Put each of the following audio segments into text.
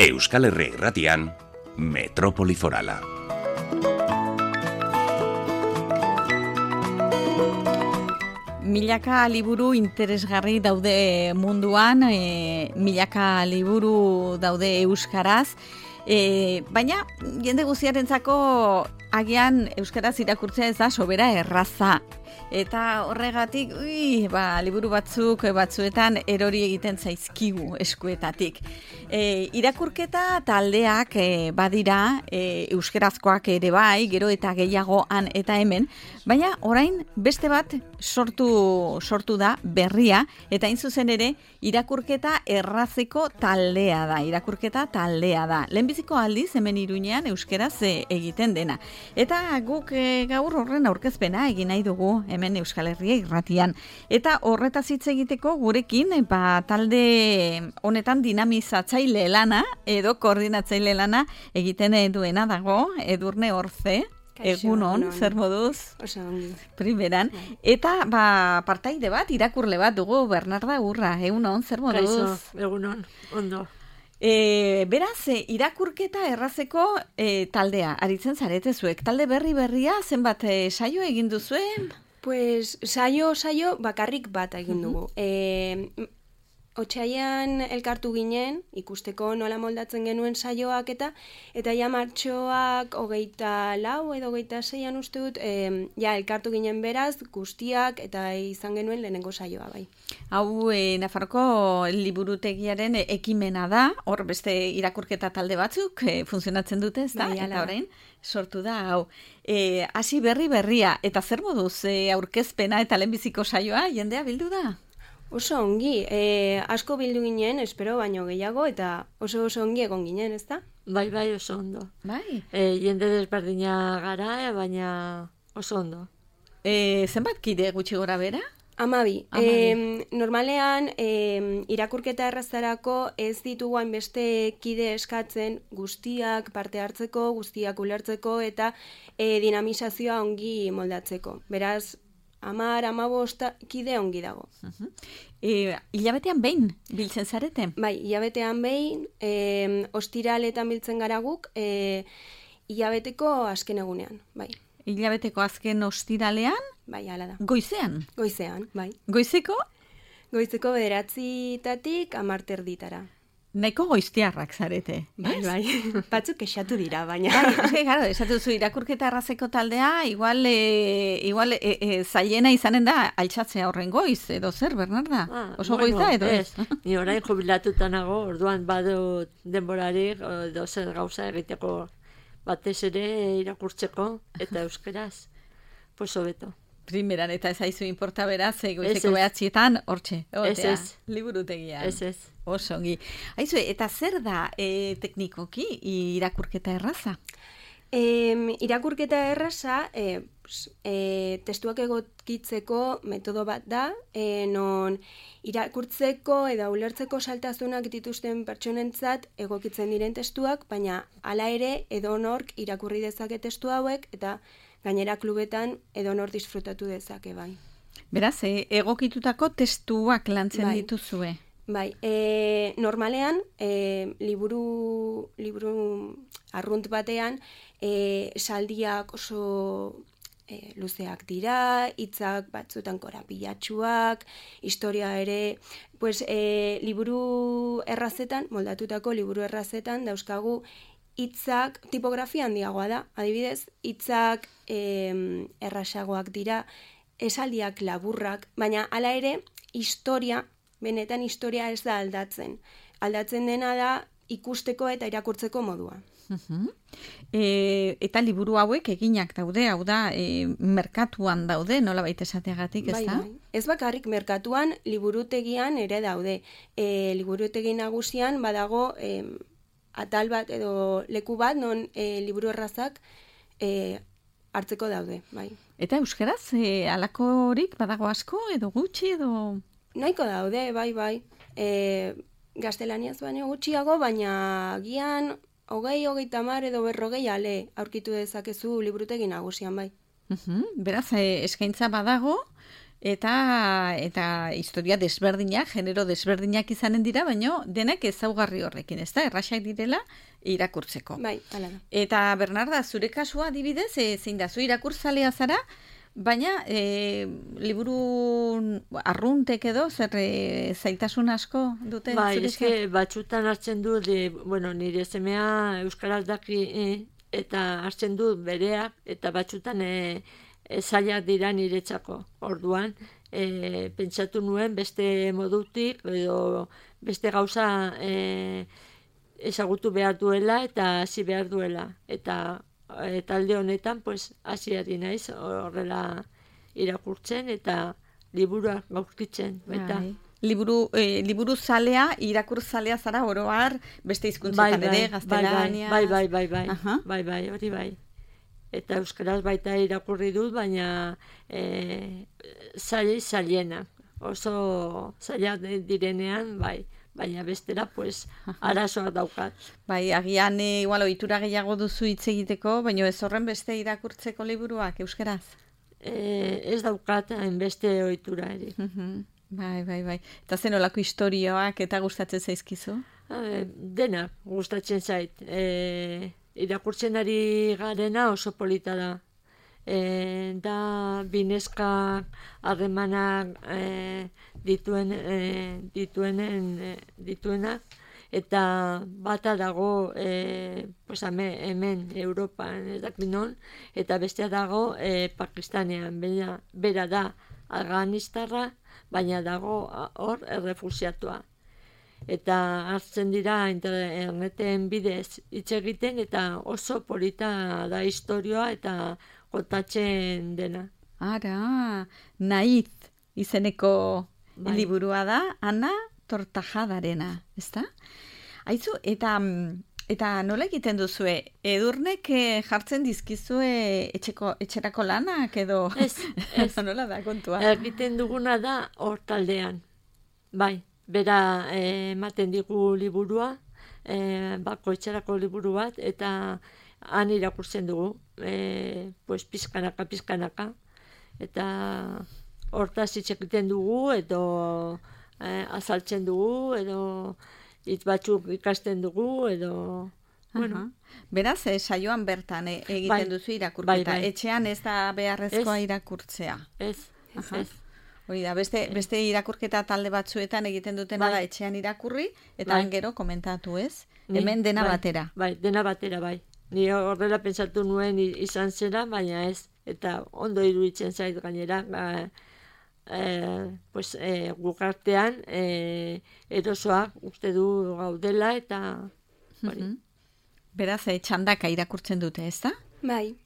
Euskal Herria Irratian, Metropoli Forala. Milaka liburu interesgarri daude munduan, milaka liburu daude euskaraz, baina jende guztiarentzako agian euskaraz irakurtzea ez da sobera erraza. Eta horregatik, liburu batzuetan erori egiten zaizkigu eskuetatik. Irakurketa taldeak badira, euskarazkoak ere bai, gero eta gehiago han eta hemen, baina orain beste bat sortu da berria, eta hain zuzen ere irakurketa errazeko taldea da. Lehenbiziko aldiz hemen Iruñean euskaraz egiten dena. Eta guk gaur horren aurkezpena egin nahi dugu hemen Euskal Herria Irratian. Eta horretaz hitz egiteko gurekin talde honetan dinamizatzaile lana edo koordinatzaile lana egiten duena dago Edurne Orze. Egunon, zer moduz? Oso ongi. Primeran. Eta partaide bat, irakurle bat dugu Bernarda Urra. Egunon, zer moduz? Kaixo, egunon, ondo. Beraz, irakurketa errazeko taldea, aritzen zarete zuek. Talde berria, zenbat saio egin duzuen? Pues saio bakarrik bat egin dugu. Otsailean elkartu ginen, ikusteko nola moldatzen genuen saioak eta ja martxoak 24 edo 26an uste dut, elkartu ginen beraz, guztiak eta izan genuen lehenengo saioa bai. Hau Nafarroko liburutegiaren ekimena da, hor beste irakurketa talde batzuk funtzionatzen dute, ez da? Bai, eta orain sortu da, hau. Hasi berria, eta zer moduz aurkezpena eta lehenbiziko saioa, jendea bildu da? Oso ongi, asko bildu ginen, espero baino gehiago, eta oso ongi egon ginen, ez da? Bai, oso ondo. Bai. Jende desberdina gara, baina oso ondo. Zenbat kide gutxi gora bera? 12. Normalean, irakurketa errazarako ez ditugu hainbeste kide eskatzen guztiak parte hartzeko, guztiak ulertzeko eta dinamizazioa ongi moldatzeko. Beraz, 10-15 kide ongi dago. Hilabetean behin biltzen zarete? Bai, hilabetean behin, ostiraletan biltzen gara guk, hilabeteko azken egunean, bai. Hilabeteko azken ostiralean? Bai, hala da. Goizean? Goizean, bai. Goizeko? Goizeko 9:00 10:00 Nahiko goiztiarrak zarete. Bai. Batzuk kexatu dira, baina. Claro, esatu zu irakurketa errazeko taldea, igual zailena izanen da altxatzea horren goiz, edo zer, Bernarda? Oso goiz da, edo ez? Ni orain jubilatuta nago, orduan badut denborarik, edo zer gauza egiteko batez ere irakurtzeko, eta euskeraz, pues hobeto. Primeran, eta ez haizu inporta beraz, goizeko 9:00 hortxe, liburutegian. Ez. Oso ongi. Haizu, eta zer da teknikoki irakurketa erraza? Irakurketa erraza, testuak egokitzeko metodo bat da, non irakurtzeko edo ulertzeko saltasunak dituzten pertsonentzat egokitzen diren testuak, baina hala ere edonork irakurri dezake testu hauek eta gainera klubetan edonor disfrutatu dezake, bai. Beraz, egokitutako testuak lantzen dituzue? Bai, normalean, liburu arrunt batean, saldiak oso luzeak dira, hitzak batzutan korapilatsuak, historia ere, liburu errazetan, moldatutako liburu errazetan, dauzkagu hitzak tipografia handiagoa da, adibidez, hitzak errasagoak dira, esaldiak laburrak, baina hala ere, benetan historia ez da aldatzen. Aldatzen dena da ikusteko eta irakurtzeko modua. Eta liburu hauek eginak daude, hau da, merkatuan daude, nolabait esateagatik, ez da? Bai. Ez bakarrik merkatuan, liburutegian ere daude. Liburutegi nagusian badago atal bat edo leku bat, non liburu errazak hartzeko daude, bai. Eta euskaraz, halakorik badago asko edo gutxi edo? Nahiko daude, bai. Gaztelaniaz baino gutxiago, baina gian 20, 30 edo 40 ale aurkitu dezakezu liburutegi nagusian, bai. Beraz, eskaintza badago, eta historia desberdinak, genero desberdinak izanen dira, baina denak ezaugarri horrekin, ez da, erraxak direla irakurtzeko. Bai, hala da. Eta Bernarda, zure kasua adibidez, zein da, zu irakurtzalea zara, baina liburu arruntek edo, zer zailtasun asko dute? Bai, eske batzutan hartzen du, nire semea euskaraz daki eta hartzen du bereak, eta batzutan zailak dira niretzako. Orduan, pentsatu nuen beste modutik, edo beste gauza ezagutu behar duela eta hasi behar duela. Eta talde honetan, hasi ari naiz horrela irakurtzen eta liburuak gaurkitzen. Liburu zalea, irakur zalea zara oroar, beste hizkuntzetan ere, gaztelania. Bai, hori bai. Eta euskaraz baita irakurri dut, baina zailena. Oso zaila direnean, bai. Baina bestera, arazoak daukat. Bai, agian igual ohitura gehiago duzu hitz egiteko, baina ez horren beste irakurtzeko liburuak euskaraz? Ez daukat hainbeste ohitura ere. Bai. Eta zen olako istorioak eta gustatzen zaizkizu? Denak gustatzen zait. Irakurtzen ari garena oso polita da. Da bineska harremanak dituenak eta bata dago hemen Europan ez dakit non, eta bestea dago Pakistanean, bera da afganistarra, baina dago hor errefuxiatua. Eta hartzen dira interneten bidez hitz egiten, eta oso polita da istorioa eta kontatzen dena. Ara, Naiz izeneko liburua da, Ana Tortajadarena, ezta? Aizu, eta nola egiten duzue? Edurnek jartzen dizkizue etxerako lanak edo? Ez. Nola da kontua? Egiten duguna da hor taldean. Bai, bera ematen digu liburua, etxerako liburu bat, eta han irakurtzen dugu, pizkanaka, eta hortaz hitz egiten dugu, edo azaltzen dugu, edo hitz batzuk ikasten dugu, edo... Beraz, saioan bertan egiten duzu irakurketa. Etxean ez da beharrezkoa irakurtzea. Ez. Hori da, beste irakurketa talde batzuetan egiten dutena da etxean irakurri, eta gero komentatu, ez? Hemen dena batera. Bai, dena batera, bai. Ni horrela pentsatu nuen izan zera, baina ez. Eta ondo iruditzen zait gainera, gukartean erosoak uste du gaudela, eta... Beraz, txandaka irakurtzen dute, ez da? Bai,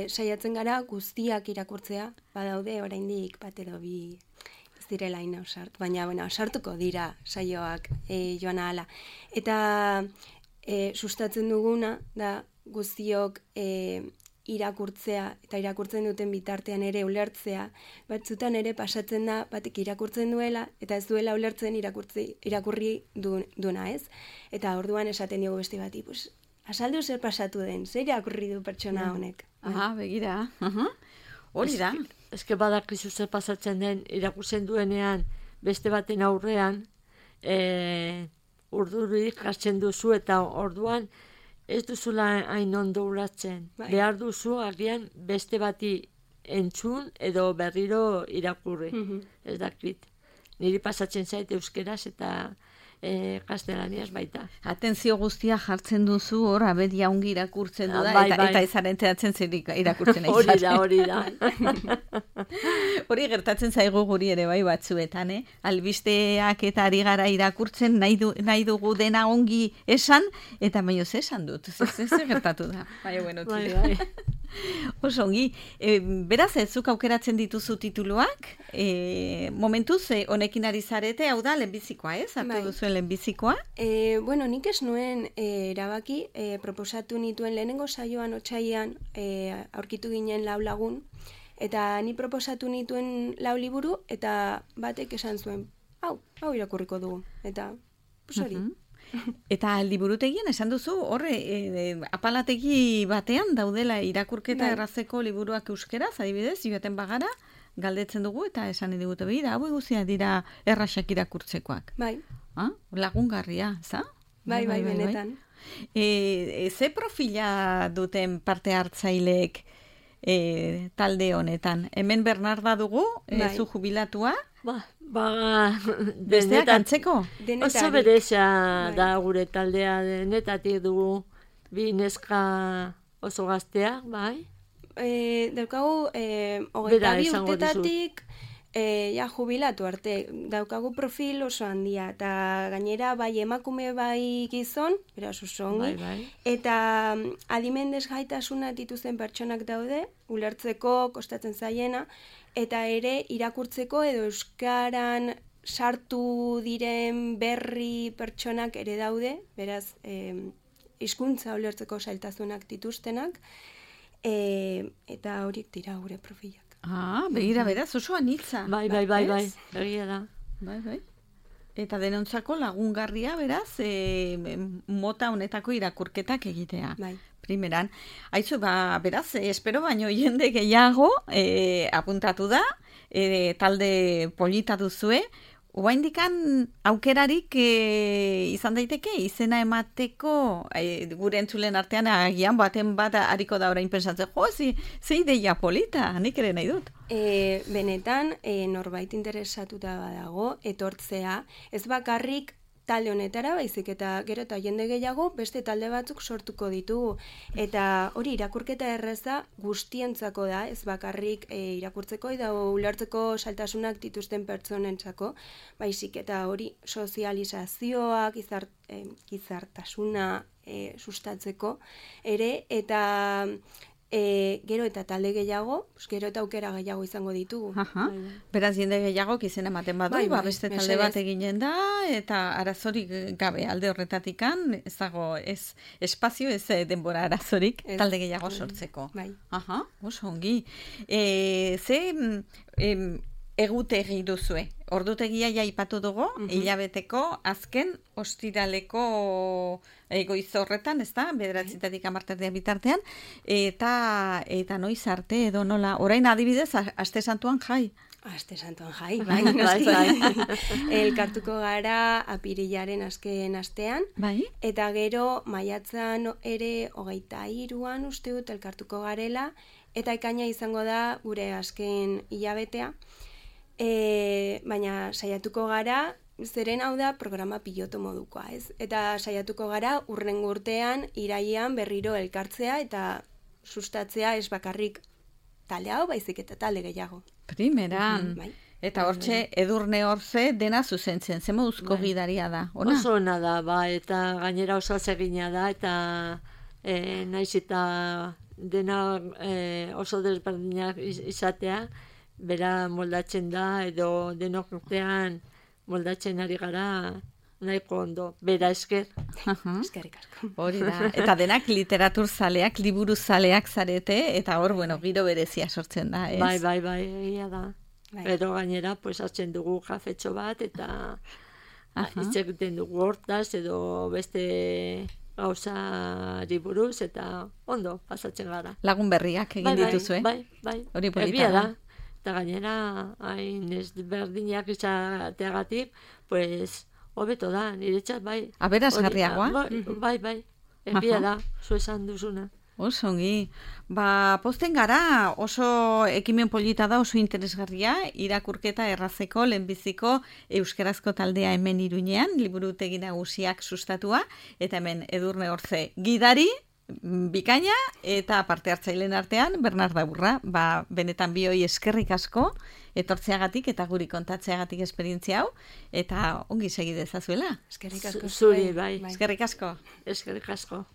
saiatzen gara guztiak irakurtzea, badaude oraindik bat edo bi ez direla ina osartu, baina osartuko dira saioak joan ahala. Eta sustatzen duguna da guztiok irakurtzea eta irakurtzen duten bitartean ere ulertzea, batzutan ere pasatzen da batek irakurtzen duela eta ez duela ulertzen irakurri duena, ez? Eta orduan esaten diogu beste bati, azaldu zer pasatu den, zer irakurri du pertsona honek. Begira. Hori da. Eske badakizu zer pasatzen den irakurtzen duenean beste baten aurrean urdurik jartzen duzu eta orduan ez duzula hain ondo uratzen. Behar duzu agian beste bati entzun edo berriro irakurri. Ez dakit. Niri pasatzen zait euskeraz eta gaztelaniaz baita. Atentzio guztia jartzen duzu, hor, abedia ongi irakurtzen du da, eta ezaren teatzen zer irakurtzen aizaten. Hori da. Hori gertatzen zaigu guri ere bai batzuetan, albisteak eta ari gara irakurtzen, nahi dugu dena ongi esan, eta baino esan dut, zer gertatu da. Bai. Oso ongi, beraz zuk aukeratzen dituzu tituluak, momentuz honekin ari zarete, hau da lehenbizikoa, ez? Hartu duzuen lehenbizikoa? Nik ez nuen erabaki, proposatu nituen lehenengo saioan otsailean aurkitu ginen 4 lagun, eta ni proposatu nituen 4 liburu, eta batek esan zuen, hau irakurriko dugu, eta hori. Eta liburutegian esan duzu, horre, apalategi batean daudela irakurketa errazeko liburuak euskeraz, adibidez, joaten bagara, galdetzen dugu eta esan digute begira, hau guztia dira errasak irakurtzekoak. Bai. Lagungarria, za? Bai, benetan. Ze profila duten parte hartzaileek talde honetan? Hemen Bernarda dugu, zu jubilatua? Besteak antzeko? Oso bereza da gure taldea, denetatik dugu bi neska oso gaztea, bai? Daukagu, 22 urtetatik jubilatu arte. Daukagu profil oso handia, eta gainera bai emakume bai gizon, beraz oso ongi, eta adimen desgaitasuna dituzten pertsonak daude, ulertzeko kostatzen zaiena, eta ere irakurtzeko edo euskaran sartu diren berri pertsonak ere daude, beraz hizkuntza ulertzeko zailtasunak dituztenak, eta horiek dira gure profilak. Begira, beraz, oso anitza. Bai, egia da. Bai. Eta denontzako lagungarria, beraz, mota honetako irakurketak egitea. Bai. Primeran. Aizu, beraz, espero baino jende gehiago apuntatu da, talde polita duzue, oraindikan aukerarik izan daiteke izena emateko gure entzulen artean agian baten bat hariko da orain pentsatzen, ze ideia polita, nik ere nahi dut. Benetan, norbait interesatuta badago, etortzea, ez bakarrik talde honetara, baizik eta gero eta jende gehiago beste talde batzuk sortuko ditugu. Eta hori irakurketa erreza guztientzako da, ez bakarrik irakurtzeko eta ulertzeko saltasunak dituzten pertsonentzako, baizik eta hori sozializazioa, gizartasuna sustatzeko ere, eta gero eta talde gehiago, gero eta aukera gehiago izango ditugu. Beraz, jende gehiago izena ematen badu, beste talde bat eginen da, eta arazorik gabe alde horretatikan, ez dago, ez espazio, ez denbora arazorik, talde gehiago sortzeko. Oso ongi. Ze egutegi duzue? Ordutegia aipatu dugu, hilabeteko azken ostiraleko goiz horretan, ez da, 9:00 bitartean, eta noiz arte edo nola, orain adibidez, Aste Santuan jai. Aste Santuan jai, bai. Elkartuko gara apirilaren azken astean, eta gero maiatzan ere 23an uste dut elkartuko garela, eta ekaina izango da gure azken hilabetea, baina saiatuko gara, zeren hau da programa piloto modukoa, ez? Eta saiatuko gara hurrengo urtean irailean berriro elkartzea eta sustatzea ez bakarrik talde hau, baizik eta talde gehiago. Primeran. Eta hortxe, Edurne Orze dena zuzentzen, ze moduzko gidaria da, ona? Oso ona da, eta gainera oso atsegina da, eta naiz eta dena oso desberdinak izatea, bera moldatzen da, edo denok urtean moldatzen ari gara nahiko ondo, bera esker. Eskerrik asko. Hori da, eta denak literatur zaleak, liburu zaleak zarete, eta hor, biro berezia sortzen da, ez? Bai, egia da. Edo gainera, hartzen dugu kafetxo bat, eta hitz egiten dugu hortaz, edo beste gauzari buruz, eta ondo pasatzen gara. Lagun berriak egin dituzue? Bai. Hori polita Egia da. Eta gainera, hain ez berdinak izateagatik, hobeto da, niretzat, bai. Aberasgarriagoa? Bai. Egia da, zu esan duzuna. Oso ongi. Posten gara, oso ekimen polita da, oso interesgarria, irakurketa errazeko, lehenbiziko euskarazko taldea hemen Iruñean, liburutegi nagusiak sustatua, eta hemen Edurne Orze gidari, bikaina, eta parte hartzaileen artean, Bernarda Burra, benetan bioi eskerrik asko, etortzeagatik eta guri kontatzeagatik esperientzia hau, eta ongi segi dezazuela. Eskerrik asko. Zuri, bai. Eskerrik asko. Eskerrik asko.